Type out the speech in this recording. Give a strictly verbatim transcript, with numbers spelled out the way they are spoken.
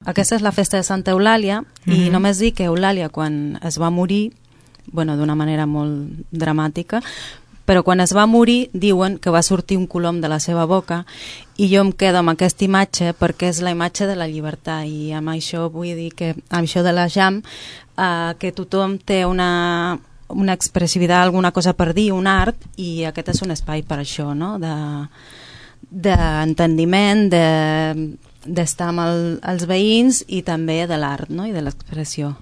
aquesta és la festa de Santa Eulàlia, i Mhm. només dic que Eulàlia, quan es va morir, bueno, d'una manera molt dramàtica, però quan es va morir diuen que va sortir un colom de la seva boca, i jo em quedo amb aquesta imatge perquè és la imatge de la llibertat, i amb això vull dir que amb això de la jam, eh, que tothom té una, una expressivitat, alguna cosa per dir, un art, i aquest és un espai per això, no? de d'entendiment, de, d'estar amb el, els veïns, i també de l'art, no? I de l'expressió.